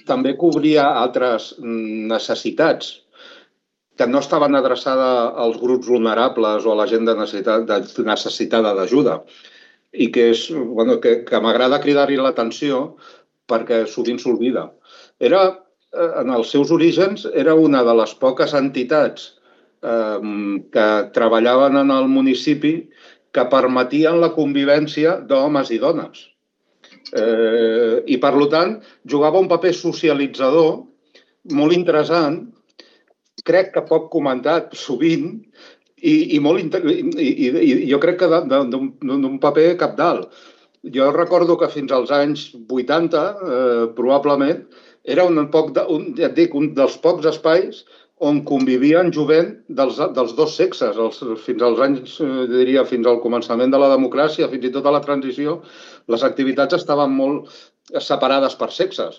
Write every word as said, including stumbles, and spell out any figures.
també cobria altres necessitats que no estaven adreçades als grups vulnerables o a la gent necessitada d'ajuda i que, és, bueno, que, que m'agrada cridar-hi l'atenció perquè sovint s'oblida. Era, en els seus orígens, era una de les poques entitats eh, que treballaven en el municipi que permetien la convivència d'homes i dones. Eh, I, per tant, jugava un paper socialitzador molt interessant, crec que poc comentat sovint, i, i, molt, i, i, i jo crec que d'un paper cabdal. Jo recordo que fins als anys vuitanta, eh, probablement, era un, poc de, un, ja et dic, un dels pocs espais on convivien jovent dels, dels dos sexes. Els, fins als anys, eh, diria, fins al començament de la democràcia, fins i tot a la transició, les activitats estaven molt separades per sexes.